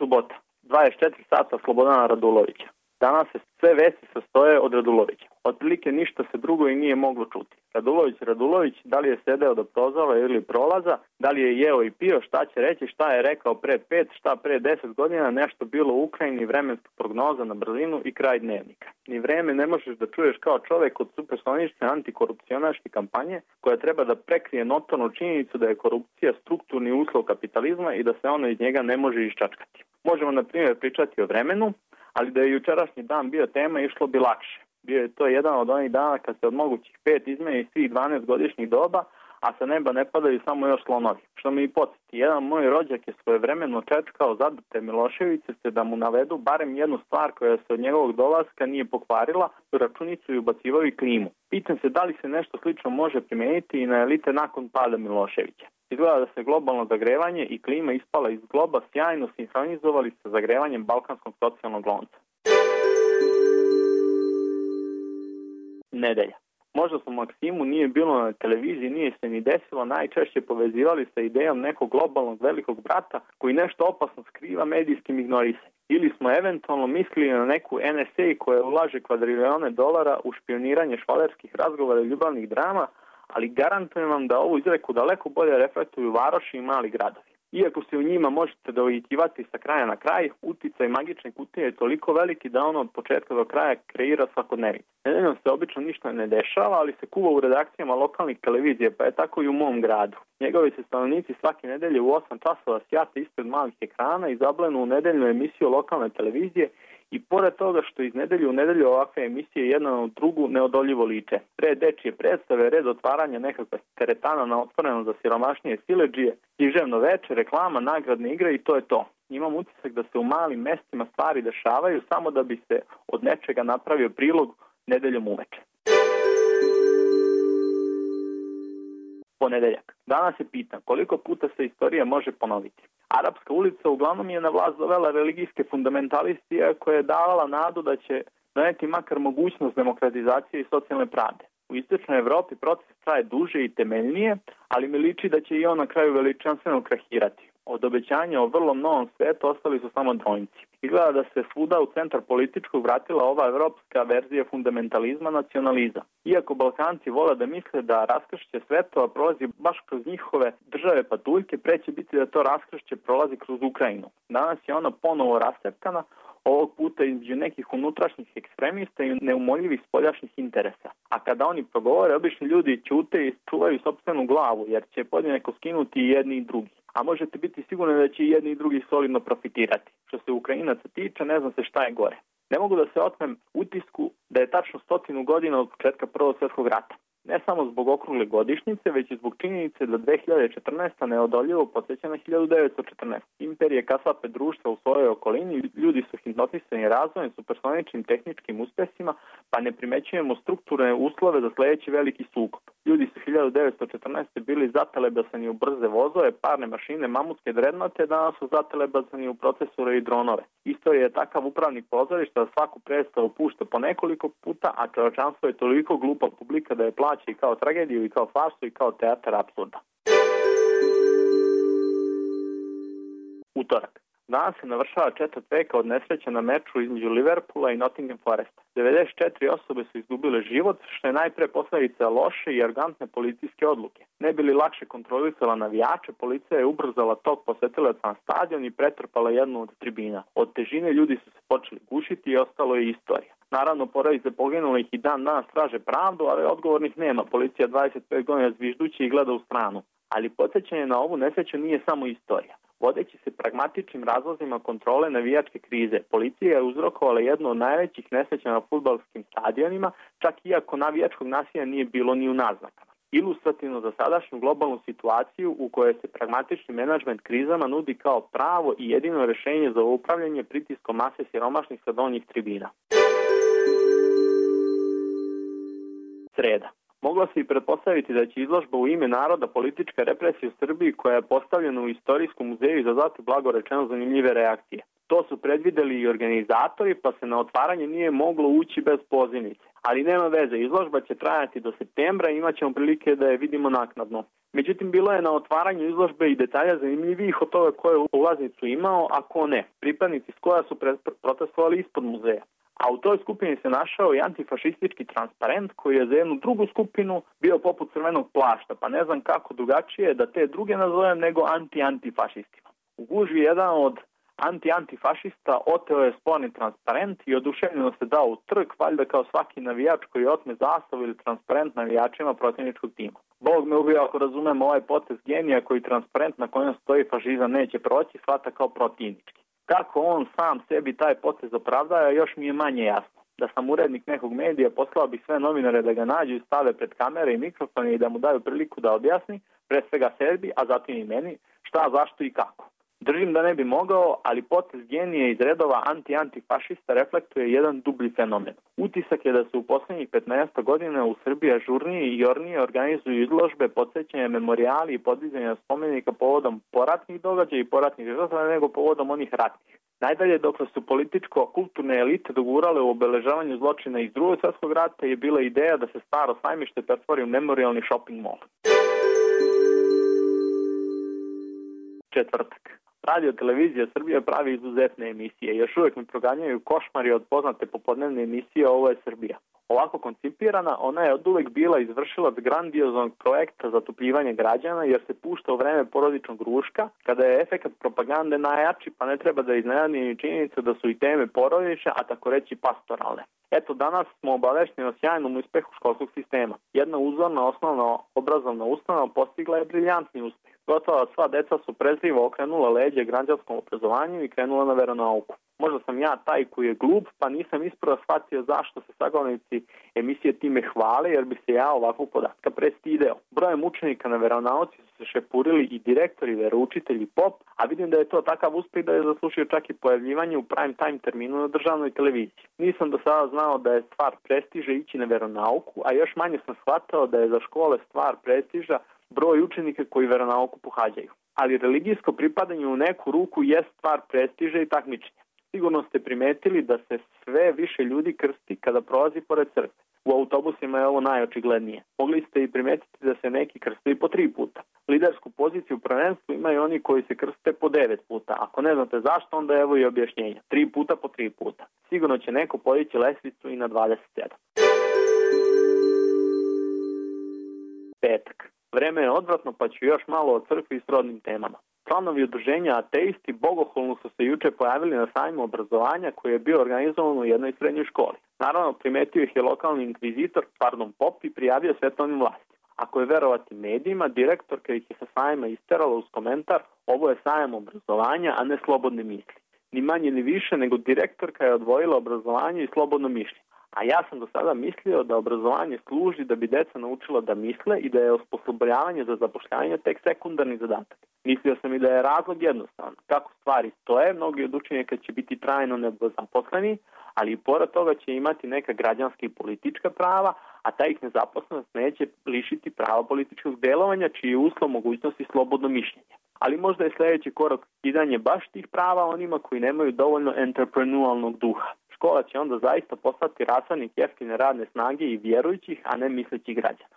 subota. 24 sata Slobodana Radulovića. Danas se sve vesti sastoje od Radulovića. Otprilike ništa se drugo i nije moglo čuti. Radulović, da li je sedeo do prozora ili prolaza, da li je jeo i pio, šta će reći, šta je rekao pre 5, šta pre 10 godina, nešto bilo u Ukrajini, vremenska prognoza na brzinu i kraj dnevnika. Ni vreme ne možeš da čuješ kao čovek od supersonične antikorupcionaške kampanje koja treba da prekrije notornu činjenicu da je korupcija strukturni uslov kapitalizma i da se ono iz njega ne može iščačkati. Možemo, na primjer, pričati o vremenu, ali da je jučerašnji dan bio tema, išlo bi lakše. Bio je to jedan od onih dana kad se od mogućih 5 izmeni svih 12 godišnjih doba, a sa neba ne padaju samo još slonovi. Što mi i podsjeti, jedan moj rođak je svojevremeno čečkao zadrte Miloševiće se da mu navedu barem jednu stvar koja se od njegovog dolaska nije pokvarila, računicu i ubacivao i klimu. Pitam se da li se nešto slično može primeniti i na elite nakon pada Miloševića. Izgleda da se globalno zagrevanje i klima ispala iz globa sjajno sinhronizovali sa zagrevanjem balkanskog socijalnog lonca. Nedelja. Možda su Maksimu nije bilo na televiziji, nije se ni desilo, najčešće povezivali sa idejom nekog globalnog velikog brata koji nešto opasno skriva medijskim ignorisanjem. Ili smo eventualno mislili na neku NSA koja ulaže kvadrilione dolara u špioniranje švalerskih razgovora i ljubavnih drama, ali garantujem vam da ovu izreku daleko bolje reflektuju varoši i mali gradovi. Iako se u njima možete dovitivati sa kraja na kraj, uticaj magične kutije je toliko veliki da ono od početka do kraja kreira svakodnevnicu. Nedeljom se obično ništa ne dešava, ali se kuva u redakcijama lokalnih televizija, pa je tako i u mom gradu. Njegovi se stanovnici svake nedelje u 8 časova sjate ispred malih ekrana i zablenu u nedeljnu emisiju lokalne televizije i pored toga što iz nedelju u nedelju ovakve emisije jedna na drugu neodoljivo liče. Red dečije predstave, red otvaranja nekakva teretana na otvoreno za siromašnije siledžije, književno veče, reklama, nagradne igre i to je to. Imam utisak da se u malim mestima stvari dešavaju samo da bi se od nečega napravio prilog nedeljom uveče. Ponedeljak. Danas se pitam koliko puta se istorija može ponoviti. Arapska ulica uglavnom je na vlast dovela religijske fundamentaliste koja je davala nadu da će doneti makar mogućnost demokratizacije i socijalne pravde. U istočnoj Evropi proces traje duže i temeljnije, ali mi liči da će i on na kraju veličanstveno krahirati. Od obećanja o vrlo novom svetu ostali su samo dvojnici. Izgleda da se svuda u centar političkog vratila ova evropska verzija fundamentalizma, nacionalizam. Iako Balkanci vole da misle da raskršće svetova prolazi baš kroz njihove države patuljke, preće biti da to raskršće prolazi kroz Ukrajinu. Danas je ona ponovo rascepkana, ovog puta između nekih unutrašnjih ekstremista i neumoljivih spoljašnjih interesa. A kada oni progovore, obični ljudi ćute i čuvaju sopstvenu glavu, jer će podjednako skinuti i jedni i drugi. A možete biti sigurni da će i jedni i drugi solidno profitirati. Što se Ukrajinaca tiče, ne znam se šta je gore. Ne mogu da se otmem utisku da je tačno 100 godina od početka Prvog svjetskog rata. Ne samo zbog okrugle godišnjice, već i zbog činjenice da 2014. neodoljivo podsjeća na 1914. Imperije kasape društva u svojoj okolini, ljudi su hipnotisani razvojem, supersoničnim tehničkim uspesima, pa ne primećujemo strukturne uslove za sledeći veliki sukob. Ljudi su 1914. bili zatelebasani u brze vozove, parne mašine, mamutske drednote, danas su zatelebasani u procesore i dronove. Istorija je takav upravnik pozorišta da svaku predstavu pušta po nekoliko puta, a čovečanstvo je toliko glupa publika da je plaća i kao tragediju, i kao farsu, i kao teatar apsurda. Utorak. Danas se navršava 4 veka od nesreća na meču između Liverpoola i Nottingham Foresta. 94 osobe su izgubile život, što je najpre posledica loše i arogantne policijske odluke. Ne bi li lakše kontrolisala navijače, policija je ubrzala tok posetilaca na stadion i pretrpala jednu od tribina. Od težine ljudi su se počeli gušiti i ostalo je istorija. Naravno, porodice poginulih i dan danas traže pravdu, ali odgovornih nema. Policija 25 godina zviždući i gleda u stranu. Ali podsjećanje na ovu nesreću nije samo istorija. Vodeći se pragmatičnim razlozima kontrole navijačke krize, policija je uzrokovala jednu od najvećih nesreća na fudbalskim stadionima, čak iako navijačkog nasilja nije bilo ni u naznakama. Ilustrativno za sadašnju globalnu situaciju u kojoj se pragmatični menadžment krizama nudi kao pravo i jedino rešenje za upravljanje pritiskom mase siromašnih sa donjih tribina. Sreda. Moglo se i pretpostaviti da će izložba u ime naroda politička represija u Srbiji koja je postavljena u Istorijskom muzeju izazvati blagorečeno zanimljive reakcije. To su predvideli i organizatori, pa se na otvaranje nije moglo ući bez pozivnice. Ali nema veze, izložba će trajati do septembra i imat ćemo prilike da je vidimo naknadno. Međutim, bilo je na otvaranju izložbe i detalja zanimljivih od toga ko je ulaznicu imao, a ko ne. Pripadnici SKOJ-a su protestovali ispod muzeja. A u toj skupini se našao i antifašistički transparent koji je za jednu drugu skupinu bio poput crvenog plašta, pa ne znam kako drugačije da te druge nazovem nego anti-antifašistima. U gužvi jedan od anti-antifašista oteo je sporni transparent i oduševljeno se dao u trg, valjda kao svaki navijač koji otme zastavu ili transparent navijačima protivničkog tima. Bog me ubio ako razumem ovaj potez genija koji transparent na kojem stoji fašizam neće proći, shvata kao protivnički. Kako on sam sebi taj potez opravdaje, još mi je manje jasno. Da sam urednik nekog medija, poslao bih sve novinare da ga nađu i stave pred kamere i mikrofone i da mu daju priliku da objasni, pre svega sebi, a zatim i meni, šta, zašto i kako. Držim da ne bi mogao, ali potez genije iz redova anti-antifašista reflektuje jedan dublji fenomen. Utisak je da se u poslednjih 15 godina u Srbiji ažurnije i jornije organizuju izložbe, podsjećanja, memorijali i podizanja spomenika povodom poratnih događaja i poratnih žrtava nego povodom onih ratnih. Najdalje, dokle su političko-kulturne elite dogurale u obeležavanju zločina iz Drugog svjetskog rata je bila ideja da se staro sajmište pretvori u memorijalni shopping mall. Četvrtak. Radio televizija Srbije pravi izuzetne emisije. Još uvijek mi proganjaju košmari od poznate popodnevne emisije Ovo je Srbija. Ovako koncipirana, ona je oduvek bila izvršilac grandioznog projekta zatopljivanja građana jer se pušta u vreme porodičnog ruška, kada je efekat propagande najjači, pa ne treba da iznenadi ni činjenica da su i teme porodične, a tako reći pastoralne. Eto, danas smo obavešteni o sjajnom uspehu školskog sistema. Jedna uzorna osnovna obrazovna ustanova postigla je briljantni uspeh. Gotovo sva deca su prezrivo okrenula leđe građanskom obrazovanju i krenula na veronauku. Možda sam ja taj koji je glup, pa nisam ispravo shvatio zašto se sagovornici emisije time hvale, jer bi se ja ovakvog podatka prestideo. Brojem učenika na veronauci su se šepurili i direktori, veroučitelji, pop, a vidim da je to takav uspeh da je zaslušio čak i pojavljivanje u prime time terminu na državnoj televiziji. Nisam do sada znao da je stvar prestiža ići na veronauku, a još manje sam shvatao da je za škole stvar prestiža broj učenika koji veronauku pohađaju. Ali religijsko pripadanje u neku ruku je stvar prestiža i takmičenja. Sigurno ste primetili da se sve više ljudi krsti kada prolazi pored crkve. U autobusima je ovo najočiglednije. Mogli ste i primetiti da se neki krste i po 3 puta. Lidersku poziciju u prvenstvu imaju oni koji se krste po 9 puta. Ako ne znate zašto, onda evo i objašnjenja. 3 puta po 3 puta. Sigurno će neko podići lestvicu i na 27. Petak. Vreme je odvratno, pa ću još malo o crkvi i srodnim temama. Članovi udruženja ateisti bogohulno su se juče pojavili na sajmu obrazovanja koji je bio organizovan u jednoj srednjoj školi. Naravno, primetio ih je lokalni inkvizitor, pop i prijavio svetovnim vlastima. Ako je verovati medijima, direktorka ih je sa sajma isterala uz komentar: ovo je sajam obrazovanja, a ne slobodne misli. Ni manje ni više nego direktorka je odvojila obrazovanje i slobodno mišljenje. A ja sam do sada mislio da obrazovanje služi da bi deca naučila da misle i da je osposobljavanje za zapošljavanje tek sekundarni zadatak. Mislio sam i da je razlog jednostavan. Kako stvari stoje, mnogi od učenika će biti trajno nezaposleni, ali i pored toga će imati neka građanska i politička prava, a ta ih nezaposlenost neće lišiti prava političkog delovanja, čiji je uslov mogućnosti slobodno mišljenje. Ali možda je sljedeći korak kidanje baš tih prava onima koji nemaju dovoljno entreprenualnog duha. Škola će onda zaista postati rasadnik jeftine radne snage i vjerujućih, a ne mislećih građana.